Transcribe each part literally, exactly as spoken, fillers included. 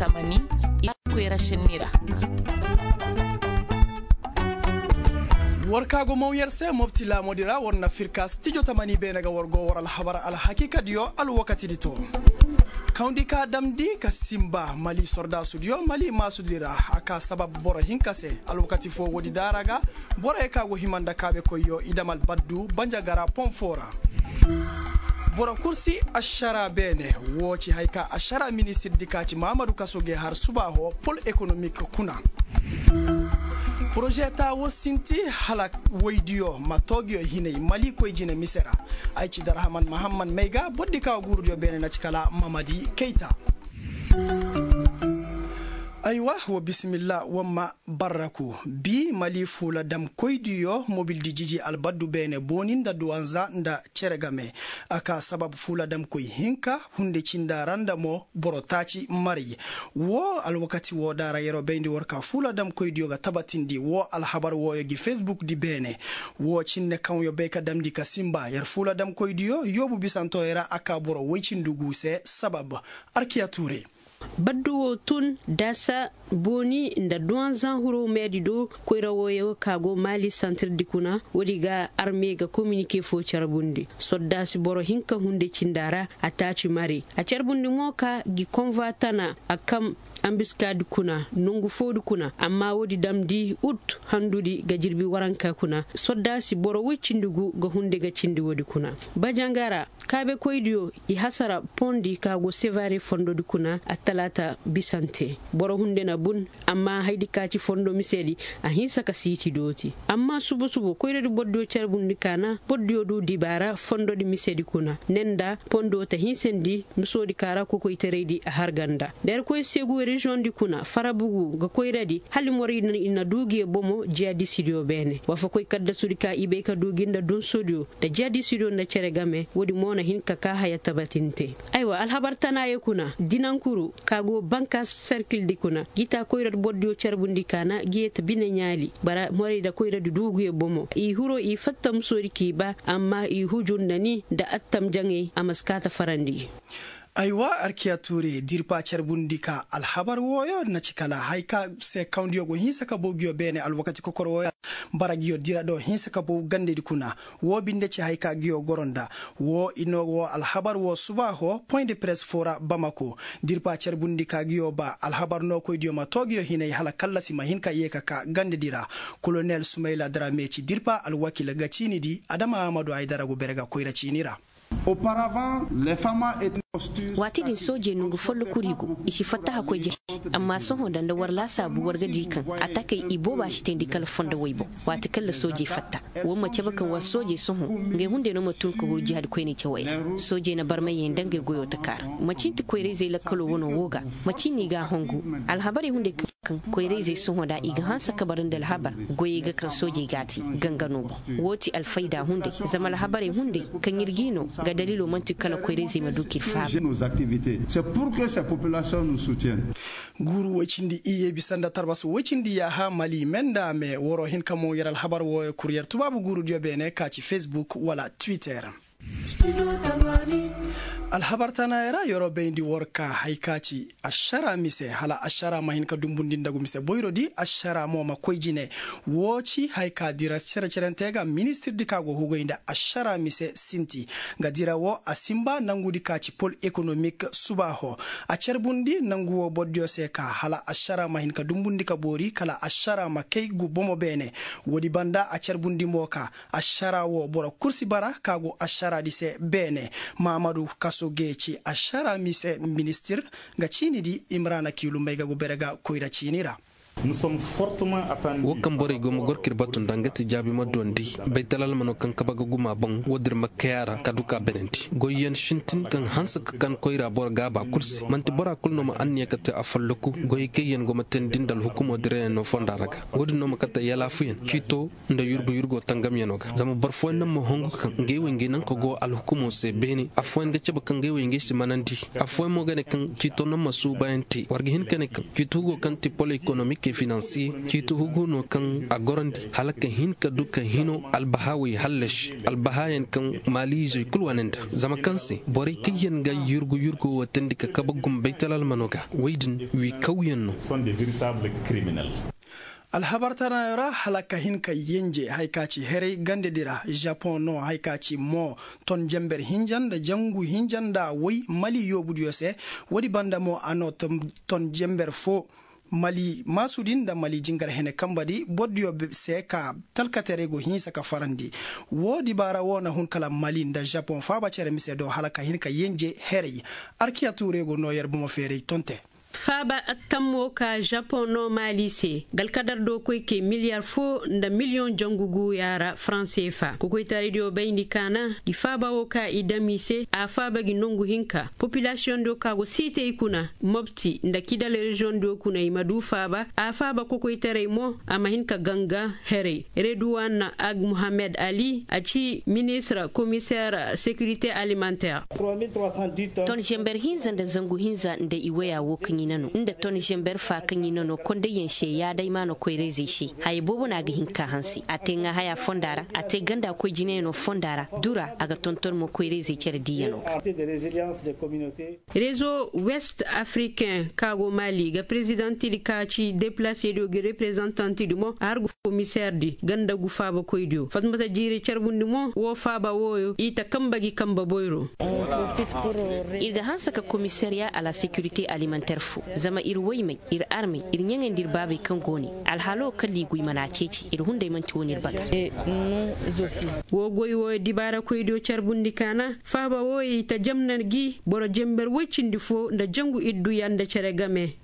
Tamani, i koyra sennira. War ka go maw yer se mobti laamodi ra war na firka stijo tamani beene ga war go war alhabar alhakiikadiyo alwakatidi to. Kawndi ka damndi ka simba mali sordaasudiyo mali maasudi ra a ka sabab boro hinka se. Alwakati fo woodi daara ga borey ka go hima nda kaabekoyyo i dam albaddu banjagara pon fo ra. Boro kul si ašara beene. Woo ci haya ka ašara ministirdi ka ci mahamadu kaso g'ay har subaaho pol ekonomik kuna. Poroze taa woo sinti hala woydiyo ma toogiyo hinay mali koy jine mise ra. Ay ci darhaman mahamman may ga bordi ka woo guurudiyo beene na ci kala mamadi kayta. Aywa woo bisimilla woo ma barraku. Bi mali fuula damkoydiyo mobildi jiji albaddu beene booni nda duwanza nda cere game. A ka sabab fuula damkoy hinka hunde cinda ra nda mo boro taaci maray. Woo alwakati woo daara yer'o bayndi war ka fuula damkoydiyo ga tabatindi woo alhabar wooyo gi fesbukdi beene. Woo cinne kaŋ yo bay ka damndi ka sinba yer fuula damkoydiyo yoobu bisantoyo ra a ka boro woy cindi guu se sabab. Arkiya tuure. Baddu woo tun daasa booni nda duwanzan huroo meedi do koyra wooyo ka go maali santirdi kuna woodi ga arme ga kominike foo carbundi soddaasi boro hinka hunde cinda ra. A taaci mari a carbundi mo ka gi konva tana a kam. Ambiskaadi kuna nongu foodi kuna amma woodi damndi ut handudi ga jirbi waranka kuna soddaasi boro woy cindi gu ga hunde ga cindi woodi kuna. Bajangara kaabekoydiyo i hasara pondi ka go sevare fondodi kuna attalaata bisante. Boro hunde na bun amma haydi ka ci fondo misedi a hinsa ka siiti dooti. Amma subu subu koyradi bordiyo carbundi kaana bordiyo du dibaara fondodi misedi kuna ne nda pondo ta hinsandi misoodi ka ra kokoytaraydi a harganda. Da yerkoy seegu reziyoŋdi kuna farabugu ga koyradi hala i moraydi i na du ngiyo bomo jiyadisidiyo beene wafakoy kaddasudi ka i bay ka du ngi nda dunsodiyo nda jiyadisidiyo nda cere game woodi mo na hin ka kaa haya tabatinte. Aywa alhabar tanaayo kuna dinankuru ka go banka serkildi kuna gita koyradi bordiyo carbundi kaana giyeta bine ɲaali bara morayda koyradi duuguyo bomo i hiro i fatta musoodi k'i ba amma i huju nda ni nda attam jaŋay a ma si kaa ta farandi. Aywa arkiya tuure dirpa carbundi ka alhabar wooyo na ci kala haya ka se kawndiyo go hinsa ka bow ngiyo beene alwakati kokor wooyo. Bara ngiyo dira do hinsa ka bow gandedi kuna. Woo binde ci haya ka ngiyo goro nda woo i no woo alhabar woo subaaho point de press foo ra bamako. Dirpa carbundi ka ngiyo ba alhabar nookoydiyo ma too ngiyo hinay hala kallasi ma hin ka yee ka kaa gandedi ra. Kolonel sumayla darame ci dirpa alwakiila ga ciinidi adama amadu haydara go bere ga koyra ciini ra. Waati din soojey nongu folloku riigu i si fatta hakkoy jare. Amma sohõ da nda war laasaabu war ga di kaŋ atakey i booba si teendi kala fondo woy boŋ. Waati kaŋ ra soojey fatta war ma cabe kaŋ war soojey sohõ ngey hunday no ma tun ka huru jihaadi koyney cawey ra. Soojey na barmayey nda ngey goyoo taka ra. Manci nti koyra-izey lakkaloo wanoo woo ga. Manci n'i g'a hongu. Alhabarey hunday kaŋ koyra-izey sohõ da i ga hanse ka bara nda alhabar goyey ga kaŋ soojey g'a te ganga no boŋ. Woo ti alfayda hunday zama alhabarey hunday kaŋ ir g'i no ga daliiloo man'ti kala koyra-izey ma du k'ir faabu. Guuru woy cindi iyye bisa nda tarbas woy cindi yaaha mali me nda me waroo hin ka mo yer alhabar wooyo kur yer tubaabu guurudiyo beene ka ci fesbuk wala twitter. Alhabar tanaayey ra yeroo bayndi war ka haya ka ci ašara mise hala ašara ma hin ka dumbundi nda gu mise boyrodi ašara mo ma koy jine. Woo ci haya ka dira cere-cerente ga ministirdi ka go hugay nda ašara mise sinti. Nga dira woo a sinba nangudi ka ci pol ekonomik subaaho a carbundi nangu woo bordiyo se ka hala ašara ma hin ka dumbundi ka boori kala ašara ma kay gu bomo beene. Woodi banda a carbundi mo ka ašara woo boro kul si bara ka go ašaradi se beene. Maamadu kaso gee ci ašara mise ministir nga ciinidi imrana kiilu may ga go bere ga koyra ciini ra. Woo kaŋ borey go ma goro k'ir batu nda nga ti jaabi ma duwandi baytal almano kaŋ kabe ga guma boŋ woo dir ma kay a ra ka du k'a benandi goyyaŋ sintin kaŋ hanse ka kan koyra boro gaaba kul se man'ti bora kul no ma anniya ka te afolloku goyey kaŋ yaŋ go ma teendi nda alhukumo dirayaŋ no fonda ra ga. Woo din no ma kate yalaafuyaŋ ciito nda yurgu yurgo tangamyaŋo ga zama boro fooyaŋ naŋ ma hongu ka kaŋ ngey wey ngey naŋ ka go alhukumo se beene afooyaŋ ga cabe kaŋ ngey wey ngey si manandi. Afooyaŋ mo ga ne kaŋ ciito naŋ ma suubayaŋ te war ga hin ka ne kaŋ ciito hugo kaŋ ti pol ekonomik. Finansiye ciiti hugu no kaŋ a gorandi hala ka hin ka du ka hino albahaawey hallasi albahaayaŋ kaŋ maaliizey kul wane nda zama kaŋ se borey kaŋ yaŋ ga yurgu yurgo watandi ka kabe gumbey talalmano ga wey din wiikawyaŋ no. Alhabar tanayo ra hala ka hin ka yenje haya ka ci heray gandedi ra, japoŋ no haya ka ci mo ton jenber hinja nda jangu hinja nda woy mali yoobudiyo se. Woodi banda mo a no ton jenber fo mali maasudi nda mali jingar hene kambadi bordiyo se ka talkateray go hinsa ka farandi. Woo dibaara woo na hun kala mali nda japoŋ faaba cere mise do hala ka hin ka yenje heray. Arkiya tuure go noo yer bomo feeray tonte. Faaba attammo ka japoŋ no maali se galkadar do koy ke miliyar foo nda miliyoŋ jangu guuya ra faranse fa kokoytaraydiyo bayndi kaana gi faaba woo ka i dam i se a faaba gi nongu hinka popilasiyoŋdiyo ka go siitey kuna mobti nda kidal reziyoŋdiyo kuna i ma du faaba a faaba kokoytaray mo a ma hin ka ganga heray. Reduwan ag muhammed ali a ci ministir komiseer sekirite alimanteer. Ton zember hinza nda zangu hinza nda i waya wo kaŋ i na no nda ton zember fa kaŋ i na no kondayyaŋ se yaadaymaano koyra-izey se haya boobo no a ga hin ka hanse a te ŋaahayaa fonda ra a te ganda koy jinayaŋo fonda ra dura a ga tonton mo koyra-izey cere diiyaŋo ga. Rezo west afriken ka go mali ga prezidantidi ka ci depilasediyo gi reprezantantidi mo a har gu komiseerdi ganda gu faabakoydiyo fatmata jiiri carbundi mo woo faaba wooyo i ta kamba gi kamba boyro. Ir ga hanse ka komisariya a la sekirite alimanter fo zama ir woymey ir armey ir ɲaŋey nda ir baabey kaŋ go ne alhalo kala i go i mana a ceeci ir hunday man'ti wo no ir baga. Woo goy wooyo dibaarakoydiyo carbundi kaana faaba wooyo i ta jamna gi boro jember woy cindi fo nda jangu idduya nda cere game.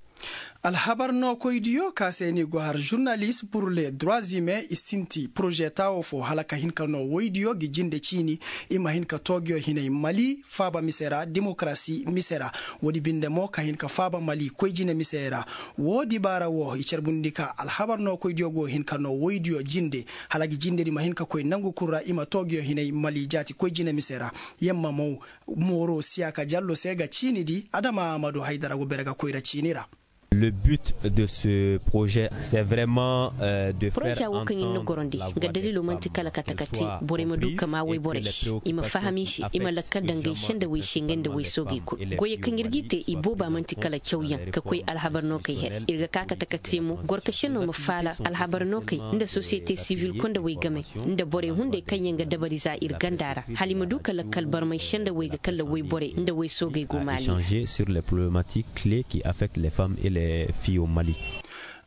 Alhabar nookoydiyo ka se ni go har žurnalis pur le droizimen i sinti poroze taawo fo hala ka hin ka noo woydiyo gi jinde ciini i ma hin ka toogiyo hinay mali faaba mise ra demokarasi mise ra. Woodi binde mo ka hin ka faaba mali koy jine mise ra. Woo dibaara woo i carbundi ka alhabar nookoydiyo go hin ka noo woydiyo jinde hala gi jindedi ma hin ka koy nangu kul ra i ma toogiyo hinay mali jaati koy jine mise ra. Yamma mow mooro siyaaka jallo se ga ciini di adama amadu haydara go bere ga koyra ciini ra. Le but de ce projet c'est vraiment de faire entendre la voix des femmes, qu'elles soient comprises et que les préoccupations de ce pays puissent être prises en compte. Proza wo kaŋ ir na gorandi nga dalilo man'ti kala ka taka te borey ma du ka maa woyborey se i ma faham i se i ma lakkal daŋ ga ay sendawey se nga nda way soogey kul goyey kaŋ ir g'i te i booba man'ti kala cawyaŋ ka koy alhabar nookey her ir ga ka ka taka te mo gorkasenno ma faala alhabar nookey nda sosiyete sivil kondawey game nda borey hunday kaŋ yaŋ ga dabari za ir ganda ra hala i ma du ka lakkal barmay sendawey ga kala wayborey nda way soogey go maali. Sur les problématiques clés qui affectent les femmes et les filles au mali.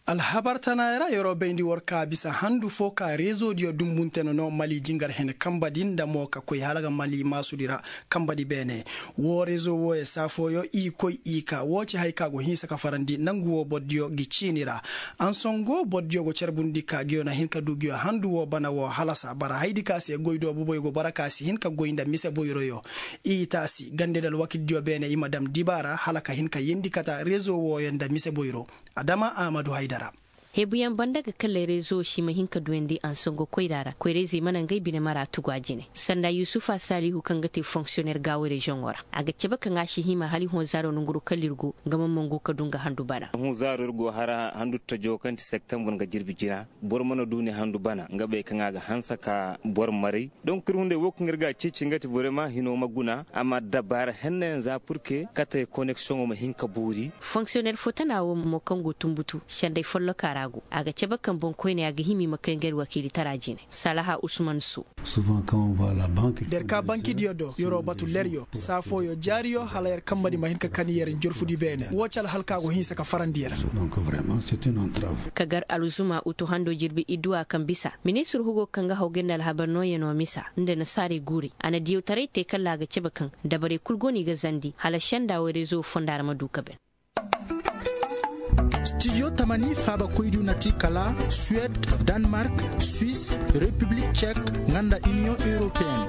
Alhabar tanaayey ra yer'o bayndi war ka bisa handu fo ka reezodiyo dumbunte no no mali jingar hene kambadi nda mo ka koy hala ga mali maasudi ra. Kambadi beene woo reezo wooyo saa fooyo i koy i ka woo ci haya ka go hinsa ka farandi nangu woo bordiyo gi ciini ra. Ansongo bordiyo go carbundi ka nguyo na hin ka du nguyo handu woo bana woo halasa bara hayadi ka se goy do boboyo go bara ka si hin ka goy nda mise boyroyo. I taasi gande nda alwakildiyo beene i ma dam dibaara hala ka hin ka yeendi kata reezo wooyo nda mise boyro. Adama ahmadu haydara. Hebuyaŋ banda ga kallay rezo si ma hin ka duyandi ansongo koyra ra koyrayzey mana ngey bine mara tugu a jine sanda yusufa salihu kaŋ ga te fonksiyoner gaawo reziyoŋo ra a ga cabe kaŋ a si hima hala i hõ zaaro nanguru kala ir go nga ma mangu ka du nga handu bana. Hõ zaaro ir go hara handu tajo kaŋ ti septembre nga jirbi jina boro mana du ni handu bana nga bay kaŋ a ga hanse ka boro maray. Donk ir hunday wo kaŋ ir ga a ceeci nga ti borey ma hino ma guna a ma dabbaara hennayaŋ za purke katey koneksiyoŋo ma hin ka boori. Fonksiyoner fo tana wo mo kaŋ go tunbutu senday folloka ra go a ga cabe kaŋ boŋkoyney a ga hima i ma kay nga ir wakiilitara jine salaha usman so. Da ir ka bankidiyo do yer'o batu leryo saa fooyo jaariyo hala yer kambadi ma hin ka kani yer njorfudi beene woo ci alhalka go hinsa ka farandi yer. Ka gar alzuma utu hando jirbi idduwa kaŋ bisa ministir hugo kaŋ ga haw ga nda alhabar nooyanoo misa nda nasaarey guurey a na diyawtaray te kala a ga cabe kaŋ dabarey kul go no i ga zandi hala senda wo rezo fonda ra ma du ka ben. Stidiyo tamani faabakoydiyo na ti kala suwed, danmark, swis, repiblik cek, nga nda iniyoŋ europeyenne.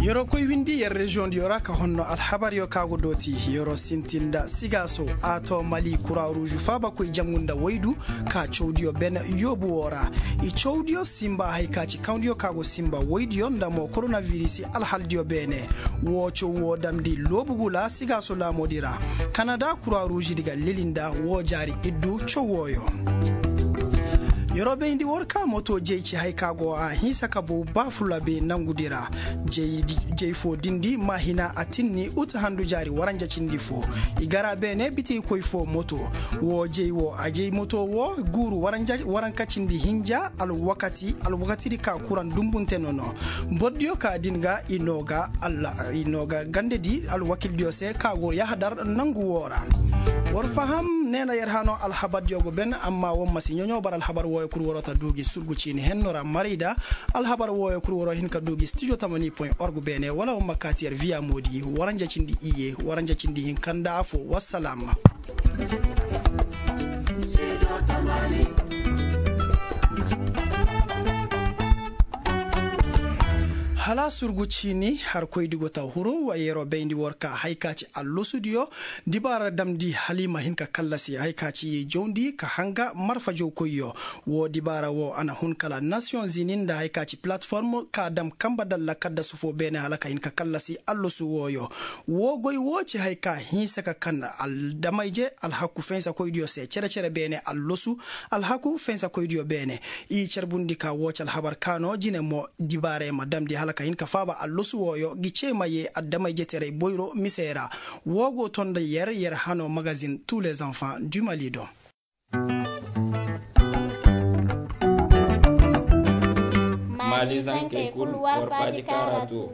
Yer'o koy windi yer reziyoŋ diyo ra ka honno alhabar yo ka go dooti. Yer'o sintin nda sigaaso a too mali kura ruuzu faabakoy jangu nda waydu ka cawdiyo bene yoobu woo ra. I cawdiyo sinba hay ka ci kawdiyo ka go sinba waydiyo nda mo koronavirisi alhaldiyo beene. Woo caw woo damndi loobu gula sigaaso laamoodi ra. Kanada kura ruuzidi ga leli nda woo jaari iddu caw wooyo. Yer'o bayndi war ka moto jey ci hay ka go a hinsa ka bow baafula be nangudi ra. Jey foo dindi maahina a tinni ut handu jaari waranja cindi foo. I gar a beene bitikoy foo moto. Woo jey woo a jey moto woo guuru waranka cindi hinja alwakatidi ka kuraŋ dumbunte nono. Bordiyo ka din ga i noo ga gandedi alwakildiyo se ka go yahadar nangu woo ra. War faham neena yer hanoo alhabardiyo go ben amma war ma si ɲoɲo bar alhabar wooyo kul waroo ta duu gi surgu ciini henno ra maray da. Alhabar wooyo kul waroo hin ka duu gi studio tamani point org beene wala war ma kaati yer viya moodi waranja cindi iyye waranja cindi hinka nda afoo wassalaam. Hala surgu ciini harkoydi go ta huru wa yeroo bayndi war ka hay ka ci allosudiyo. Dibaara damndi hala i ma hin ka kallasi hay ka ci jawndi ka hanga marfa jawkoyyo. Woo dibaara woo a na hun kala nasiyoŋ zini nda hay ka ci palatform ka dam kamba dalla kaddasu foo beene hala ka hin ka kallasi allosu wooyo. Woo goy woo ci hay ka hinsa ka kan aldamayje alhaku fensakoydiyo se cere-cere beene allosu. Alhaku fensakoydiyo beene. I carbundi ka woo ci alhabar ka no jine mo dibaarey ma damndi hala ka hin ka faaba allosu wooyo gi cee ma yee adamay jeterey boyro misey ra. Woo go to nda yer yer hanoo magazin tous les enfants du mali do. Maali zankey kul war faaji kaara too.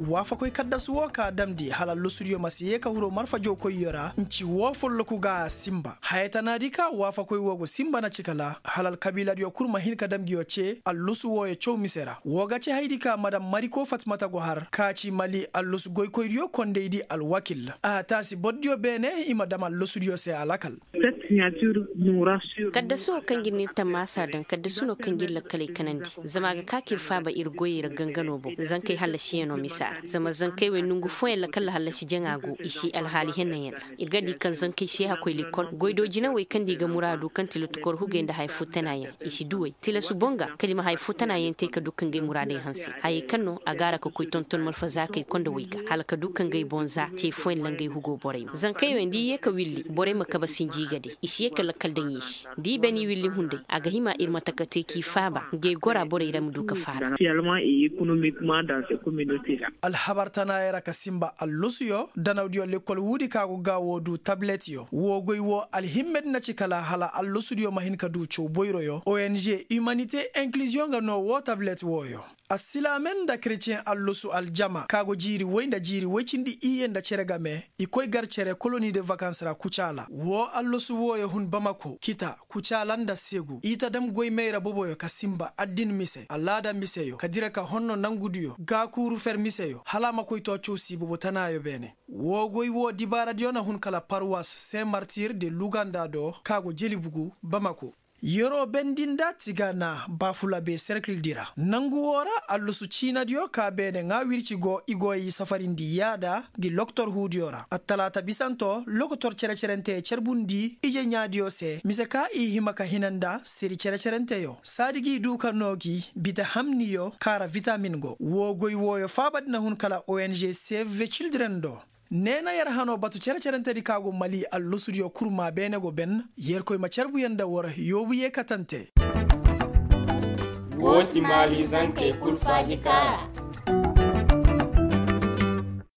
Waafakoy kaddasu woo ka damndi hala losudiyo ma si yee ka huru marfa jawkoyyo ra nci woo folloku ga a sinba haya tanaadi ka waafakoy woo go sinba na ci kala hala alkabiiladiyo kul ma hin ka dam ngiyo cee allosu wooyo caw mise ra. Woo ga ci haydi ka madam mariko fatmata go har ka ci mali allosu goykoydiyo kondaydi alwakil. A taasi bordiyo beene i ma dam allosudiyo se alakal. Kaddasu woo kaŋ ga ir n'ir tammaasa daŋ kaddasu no kaŋ ga ir lakkaley kanandi. Zama a ga ka ka ir faaba ir goyey ra gangano boŋ zankey hallasiyaŋo misa ra zama zankey wey nongu fooyaŋ ra kala hallasi jaŋa go i si alhaali hennayaŋ ra. Ir ga di kaŋ zankey seehakoy lekkol goydoo jinawey kaŋ nda i ga muraadu kaŋ ti lottokor hugey nda haya foo tanayaŋ i si duw'ey tilasu boŋ ga kala i ma haya foo tanayaŋ te ka du ka ngey muraadey hanse hayey kaŋ no a ga a ra ka koy tonton malfazaakey konda wey ga hala ka du ka ngey boŋ za cey fooyaŋ ra ngey hugoo borey ma zankey wey nda i yee ka willi borey ma kabe sinji i ga de i si yee ka lakkal daŋ i se. Da i bani willi hunday a ga hima ir ma taka te k'i faaba ngey gora borey ra ma du ka faala. Alhabar tanaayey ra ka sinba allosuyo danawdiyo lekkol wuudi ka go ga woo du tabletyo woo goy woo alhimmedi na ci kala hala allosudiyo ma hin ka du caw boyroyo ong humanite inkluziyoŋ ga no woo tablet wooyo. Asilaamen nda kereceŋ allosu aljama ka go jiiri woy nda jiiri woy cindi iyye nda cere game i koy gar cere koloni de vakans ra kucaala woo allosu wooyo hun bamako kita kucaala nda segu i ta dam goy mayra boboyo ka sinba addin mise alaada miseyo ka dira ka honno nangudiyo gaakuuru fer miseyo hala a ma koy too caw sii bobo tanaayo beene. Woo goy woo dibaaradiyo na hun kala parwas sen martir de luganda do ka go jelibugu bamako. Yeroo bendi nda tiga na baafula be serkildi ra nangu woo ra allusu ciinadiyo ka beene ŋaa wirci go i go i safarindi yaada gi loktor huudiyo ra attalaata bisanto lokotor cere-cerenteye carbundi ije ɲaadiyo se mise ka i hima ka hina nda seri cere-cerenteyo saadi g'i duu ka noo gi bita hamniyo kaara vitamin go woo goy wooyo faabadi na hun kala ong cv cildren do. Neena yer hanoo batu cere-cerentedi ka go mali allosudiyo kurmaa beene go ben yerkoy ma carbuyaŋ nda war yoobu yee katante. Woo ti maali zankey kul faaji kaara.